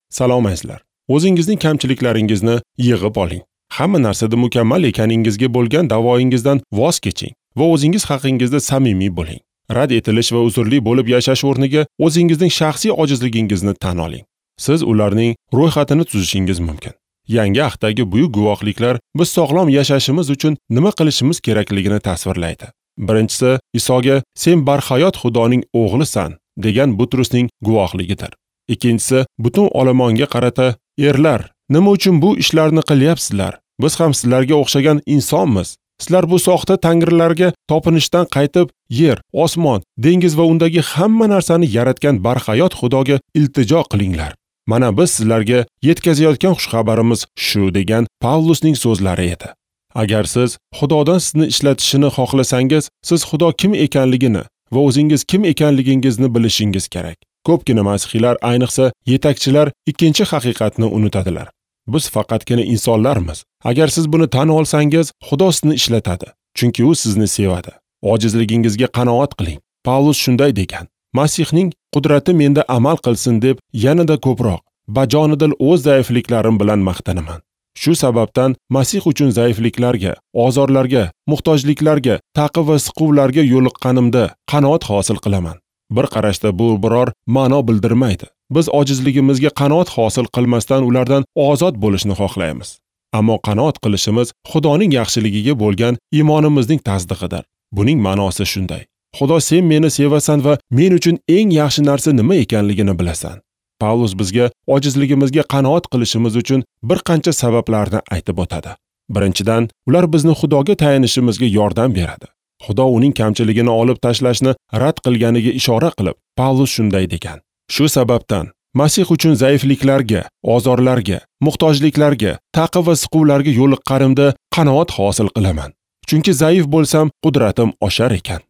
Salom azizlar. O'zingizning kamchiliklaringizni yig'ib oling. Hamma narsada mukammal ekaningizga bo'lgan da'voingizdan voz keching va o'zingiz haqingizda samimiy bo'ling. Rad etilish va uzrli bo'lib yashash o'rniga o'zingizning shaxsiy ojizligingizni tan oling. Siz ularning ro'yxatini tuzishingiz mumkin. Yangi ahdagi buyuk guvohliklar biz sog'lom yashashimiz uchun nima qilishimiz kerakligini tasvirlaydi. Birinchisi, Isoga "Sen barhayot Xudoning o'g'lisan" degan Butrusning guvohligidir. Ikkinchisi, butun olomonga qarata "Erlar, nima uchun bu ishlarni qilyapsizlar? Biz ham sizlarga o'xshagan insonmiz. Sizlar bu soxta tangrilarga topinishdan qaytib, yer, osmon, dengiz va undagi hamma narsani yaratgan barhayot Xudoga iltijo qilinglar. Mana biz sizlarga yetkazayotgan xushxabarimiz shu" degan Pavlusning so'zlari edi. Agar siz Xudodan sizni ishlatishini xohlasangiz, siz Xudo kim ekanligini va o'zingiz kim ekanligingizni bilishingiz kerak. Ko'pgina masihiylar, ayniqsa yetakchilar ikkinchi haqiqatni unutadilar. Biz faqatgina insonlarmiz. Agar siz buni tan olsangiz, Xudo sizni ishlatadi, chunki u sizni sevadi. Ojizligingizga qanoat qiling. Pavlus shunday degan: Masihning qudrati menda amal qilsin deb yanada ko'proq bajonidil o'z zaifliklarim bilan maqtanaman. Shu sababdan Masih uchun zaifliklarga, ozorlarga, muhtojliklarga, ta'qib va siquvlarga yo'liqqanimda qanoat hosil qilaman. Bir qarashda bu biror ma'no bildirmaydi. Biz ojizligimizga qanoat hosil qilmasdan ulardan ozod bo'lishni xohlaymiz. Ammo qanoat qilishimiz Xudoning yaxshiligiga bo'lgan iymonimizning tasdig'idir. Buning ma'nosi shunday: Xudo, sen meni sevasan va men uchun eng yaxshi narsa nima ekanligini bilasan. Pavlus bizga ojizligimizga qanoat qilishimiz uchun bir qancha sabablarni aytib o'tadi. Birinchidan, ular bizni Xudoga tayanishimizga yordam beradi. Xudo uning kamchiligini olib tashlashni rad qilganiga ishora qilib, Pavlus shunday degan: Shu sababdan Masih uchun zaifliklarga, ozorlarga, muhtojliklarga, ta'qib va siquvlarga yo'liqqanimda qanoat hosil qilaman. Chunki zaif bo'lsam, qudratim oshar ekan.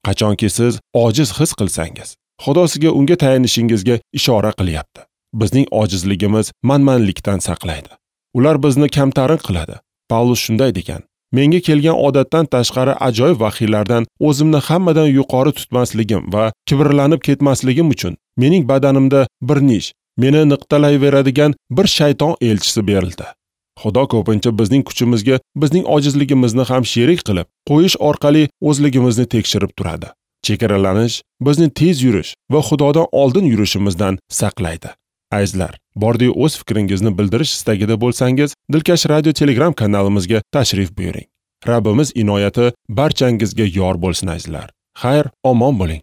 Qachonki siz ojiz his qilsangiz, Xudo sizga unga tayanishingizga ishora qilyapti. Bizning ojizligimiz manmanlikdan saqlaydi. Ular bizni kamtarin qiladi. Pavlus shunday degan: Menga kelgan odatdan tashqari ajoyib vahiylardan o'zimni hammadan yuqori tutmasligim va kibrlanib ketmasligim uchun mening badanimda bir nish, meni niqtalayveradigan bir shayton elchisi berildi. Xudo ko'pincha bizning kuchimizga bizning ojizligimizni ham sherik qilib qo'yish orqali o'zligimizni tekshirib turadi. Chegaralanish bizni tez yurish va Xudodan oldin yurishimizdan saqlaydi. Azizlar, bordiyu o'z fikringizni bildirish istagida bo'lsangiz, Dilkash Radio Telegram kanalimizga tashrif buyuring. Rabbimiz inoyati barchangizga yor bo'lsin azizlar. Xayr, omon bo'ling.